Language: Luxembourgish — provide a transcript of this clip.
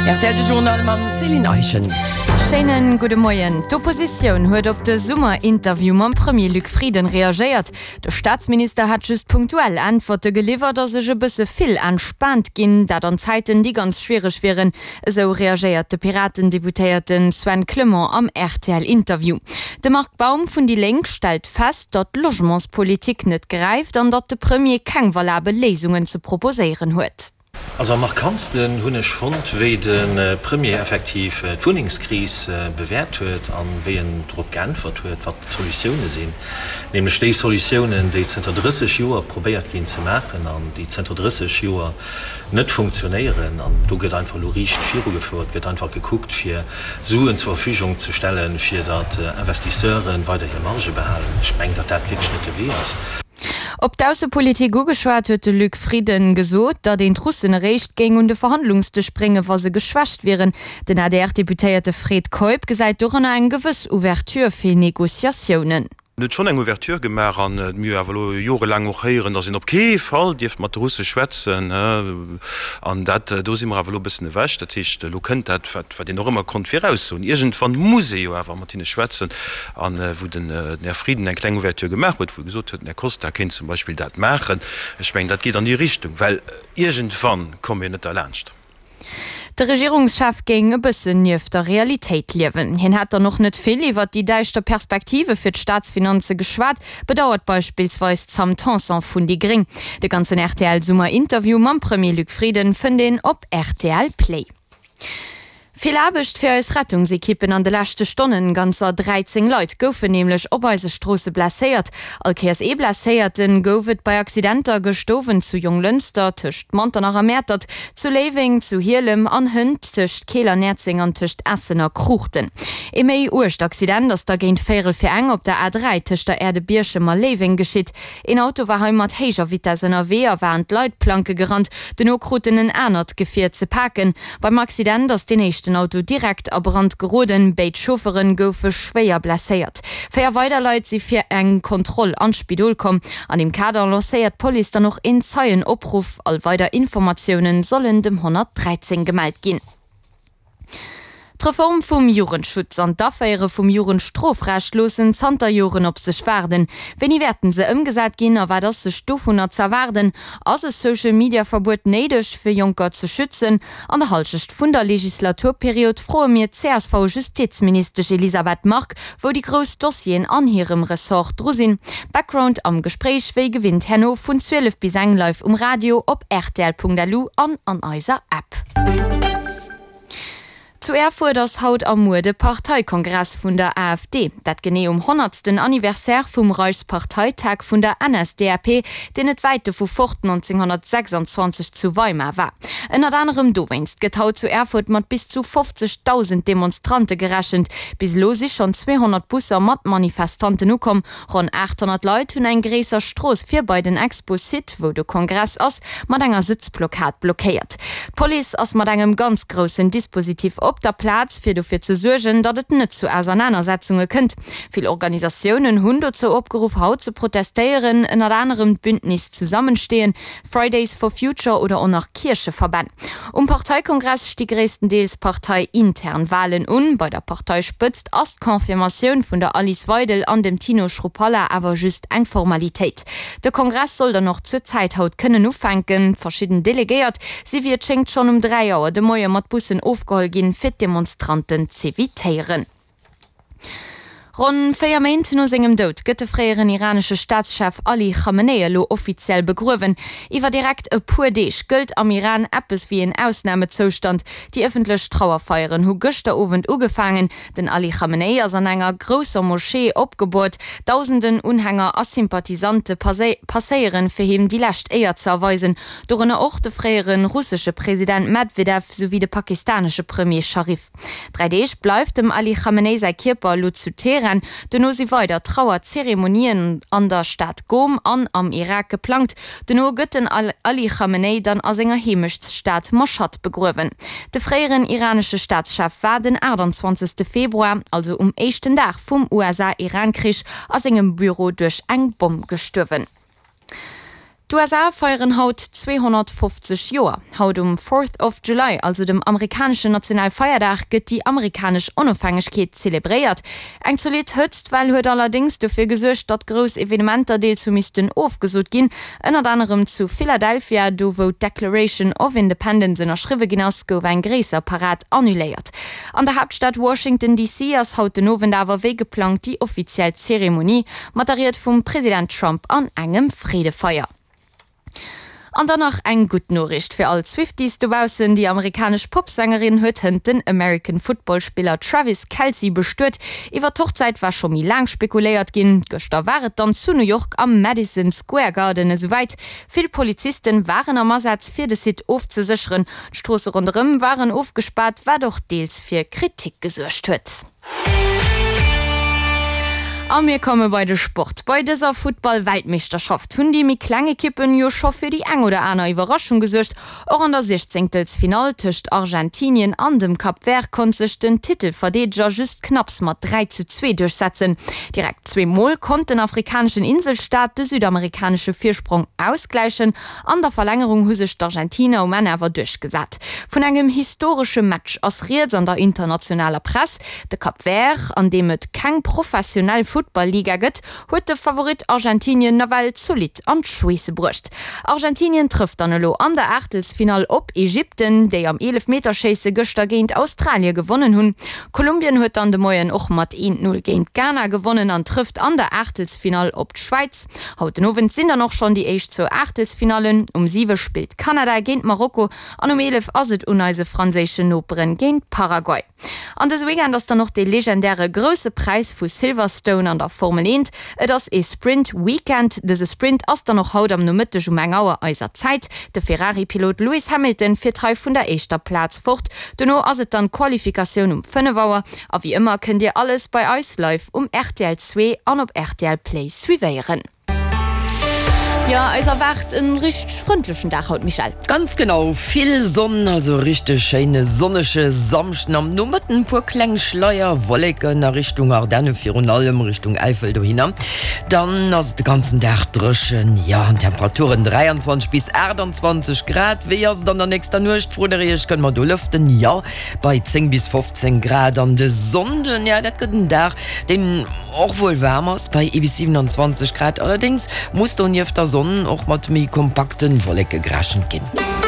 Rtl de Journal mam Céline Eischen. Schéinen gudde Moien. D'Oppositioun huet op de Summer-Interview mam Premier Luc Frieden reagéiert. De Staatsminister hätt just punktuell Äntwerte geliwwert a sech e bësse vill entspaant ginn, dat an Zäiten, déi ganz schwiereg wieren, esou reagéiert de Piraten-Deputéierte Sven Clement am RTL-Interview. De Marc Baum vun déi Lénk stellt fest, datt d'Logementspolitik net gräift an datt de Premier keng valabel Léisungen ze proposéieren huet. Also am markantsten hunn ech fonnt, wéi de Premier effektiv d'Wunnengskris bewäert huet an wéi en drop geäntwert huet, wat d'Solutioune sinn, nämlech déi Solutiounen, déi zënter 30 Joer probéiert ginn ze maachen an déi zënter 30 Joer net funktionéieren. An do gëtt einfach elo riicht virugefouert, gëtt einfach gekuckt, fir Suen zur Verfügung ze stellen, fir datt Investisseure weider hir Marge behalen. Ech mengen, datt dat wierklech net de Wee ass. Op d'Aussepolitik ugeschwat huet de Luc Frieden gesot, datt een d'Russen eréischt géing un de Verhandlungsdësch bréngen, wa se geschwächt wieren. Den ADR-Deputéierte Fred Keup gesäit doranner eng gewëss Ouverture fir Negociatiounen. En huet schonn eng Ouverture gemaach an mir hu awer elo jorelaang och héieren, datt een op kee Fall dierft mat de Russe schwätzen. An dat, do si mer awer elo e bëssen ewech. Dat heescht, elo kënnt dat, wat een och ëmmer konnt viraussoen, Iergendwann muss ee jo awer mat hinne schwätzen. A wou den Här Frieden eng kleng Ouverture gemaach huet, wou e gesot huet, den Här Costa kéint zum Beispill dat maachen. Ech mengen, dat geet an déi Richtung, well iergendwann komme mir net derlaanscht. De Regierungschef géing e bëssen nieft der Realitéit liewen. Hien hätt dann och net vill iwwert déi däischter Perspektive fir d'Staatsfinanze geschwat, bedauert beispillsweis d'Sam Tanson vun déi gréng. De ganzen RTL-Summer-Interview mam Premier Luc Frieden fënnt een op rtl Play. Vill Aarbecht fir eis Rettungsekippen an de leschte Stonnen. Ganzer 13 Leit goufen nämlech op eise Stroosse blesséiert. All Kéiers ee Blesséierten gouf et bei Accidenter gëscht Owend zu Jonglënster, tëscht Manternach a Mäertert, zu Léiweng, zu Hielem an hënt tëscht Keel an Näerzeng an tëscht Essen a Kruuchten. Ee méi uergt Accident ass da géint véierel fir eng op der A3 tëscht der Aire de Bierchem a Léiweng geschitt. Een Auto war hei mat héijer Vitess ënnerwee a war an d'Leitplanke gerannt. Dono krut en en anert Gefier ze paken. Beim Accident ass deen éischten Auto direkt a Brand geroden. Béid Chauffere goufe schwéier blesséiert. 4 weider Leit si fir eng Kontroll an d'Spidol komm. An deem Kader lancéiert d'Police dann och een Zeienopruff. All weider Informatioune sollen dem 113 gemellt ginn. D'Reform vum Jugendschutz an d'Aféiere vum Jugendstrofrecht loossen zanter Joren op sech waarden. Wéini wäerten se ëmgesat ginn a wat ass sech dovunner z'erwaarden? Ass e Social Media Verbuet néideg fir Jonker ze schützen? An der Halschecht vun der Legislaturperiod froe mir d'CSV-Justizministesch Elisabeth Margue, wou déi grouss Dossieren an hirem Ressort dru sinn. Background am Gespréich wéi gewinnt herno vun 12 bis eng live um Radio, op rtl.lu an an eiser App. Zu Erfurt ass haut a muer de Parteikongress vun der AfD. Dat genee um honnertsten Anniversaire vum Reichsparteitag vun der NSDAP, deen net wäit dovu fort 1926 zu Weimar war. Ënnert anerem dowéinst gëtt haut zu Erfurt mat bis zu 50.000 Demonstrante gerechent. Bis elo si schonn 200 Busser mat Manifestanten ukomm. Ronn 800 Leit hunn eng gréisser Strooss vir bei den Expo-Site, wou de Kongress ass, mat enger Sëtzblockad blockéiert. D'Police ass mat engem ganz groussen Dispositif op der Plaz, fir dofir ze suergen, datt et net zu Ausernanersetzunge kënnt. Vill Organisatiounen hunn dozou opgeruff, haut ze protestéieren, ënnert anerem d'Bündnis Zusammenstehen, Fridays for Future oder och nach Kiercheverbänn. Um Parteikongress sti gréisstendeels parteiintern Walen un. Bei der Parteispëtzt ass d'Confirmatioun vun der Alice Weidel an dem Tino Chrupalla awer just eng Formalitéit. De Kongress soll dann och zur Zäit haut kënnen ufänken. Verschidden Delegéiert si wéi et schéngt schonn um 3 Auer de Moie mat Bussen ofgeholl ginn, fir d'Demonstranten z'evitéieren. Ronn 4 Méint no sengem Doud gëtt de fréieren iranesche Staatschef Ali Khamenei elo offiziell begruewen. Iwwer direkt e puer Deeg gëllt am Iran eppes wéi een Ausnamezoustand. Déi ëffentlech Trauerfeieren hu gëschter Owend ugefaangen. Den Ali Khamenei ass an enger grousser Moschee opgeboort. Dausenden Unhänger a Sympathisante passéieren, fir him déi lescht Éier ze erweisen. Dorënner och de fréiere russesche President Medwedew souwéi de pakistanesche Premier Sharif. 3 Deeg bleift dem Ali Khamenei säi Kierper elo zu Teheran. Dono si weider Trauerzeremonien an der Stad Ghom an am Irak geplangt. Dono gëtt den Ali Khamenei dann a senger Heemechtsstad Mashhad begruewen. De fréieren iranesche Staatschef war den 28. Februar, also um éischten Dag vum USA-Iran-Krich, a sengem Büro duerch eng Bomm gestuerwen. D'USA feieren haut 250 Joer. Haut um Fourth of July, also dem amerikaneschen Nationalfeierdag, gëtt déi amerikanesch Onofhängegkeet zelebréiert. Eng zolidd Hëtztwell huet allerdéngs dofir gesuergt, datt grouss Evenementer deels hu missten ofgesot ginn. Ënnert anerem zu Philadelphia, do wou d'Declaration of Independence ënnerschriwwe ginn ass, gouf eng gréisser Parad annuléiert. An der Haaptstad Washington DC ass haut den Owend awer wéi geplangt déi offiziell Zeremonie. Mat der Ried vum President Trump an engem Freedefeier. An dann nach eng gutt Noriicht fir all d'Swifties dobaussen, Déi amerikanesch Popsängerin huet hënt den American Football Spiller Travis Kelce bestuet. Iwwer d'Hochzäit war scho méi laang spekuléiert ginn. Gëschter war et dann zu New York am Madison Square Garden esouwäit. Vill Polizisten waren am Asaz fir de Site ofzesécheren. D'Stroosse ronderëm waren ofgespaart, wat och deels fir Kritik gesuergt huet. A mir komme bei de Sport. Bei dëser Futtball-Weltmeeschterschaft hunn déi méi kleng Ekippen jo scho fir déi eng oder aner Iwwerraschung gesuergt. Och an der Siechzéngtelsfinall tëscht Argentinien an dem Cap Vert konnt sech den Titelverdeedeger just knapps mat 3 zu 2 duerchsetzen. Direkt zweemol konnt den afrikaneschen Inselstaat de südamerikanesche Virsprong ausgläichen. An der Verlängerung hu sech d'Argentiner um Enn awer duerchgesat. Vun engem historesche Match ass rieds an der internationaler Press. De Cap Vert, an deem et keng professionell Futtball-Liga gëtt, huet de Favorit Argentinien nawell zolidd an d'Schweesse bruecht. Argentinien trëfft dann elo an der Aachtelsfinall op Ägypten, déi am Eelefmeterschéisse gëschter géint Australie gewonnen hunn. Kolumbien huet dann de Moien och mat 1, 0 géint Ghana gewonnen an trëfft an der Aachtelsfinall op d'Schwäiz. Haut den Owend sinn dann och schonn déi éischt zwou Aachtelsfinallen. Um 7 spillt Kanada géint Marokko an um 11 ass et un eise franséischen Noperen géint Paraguay. An dëse Weekend ass dann och dee legendäre Grousse Präis vu Silverstone an der Formel 1. Et ass ee Sprint Weekend. Dëse Sprint ass dann och haut am Nomëtteg um eng Auer eiser Zäit. De Ferrari-Pilot Lewis Hamilton fiert hei vun der éischter Plaz fort. Dono ass et dann d'Qualifikatioun um 5 Auer. A wéi ëmmer kënnt dir alles bei eis live um rtl 2 an op rtl Play suivéieren. Jo, eis erwaart en richteg frëndlechen Dag haut, Michèle. Ganz genau, vill Sonn, also e richteg schéine sonnege Samschden. Am Nomëtten e puer kleng Schleier Wolleken a Richtung Ardenne, virun allem Richtung Äifel dohinner. Dann ass et de ganzen Dag dréchen, jo, an Temperaturen 23 bis 28 Grad. Wéi ass et an der nächster Nuecht, frot der iech, kënne mer do lëften? Jo, Bei 10 bis 15 Grad an de Sonnden, ja dat gëtt en Dag, deen och wuel waarm ass, bei ee bis 27 Grad. Allerdéngs muss donieft der Sonn och mat méi kompakte Wolleke gerechent ginn.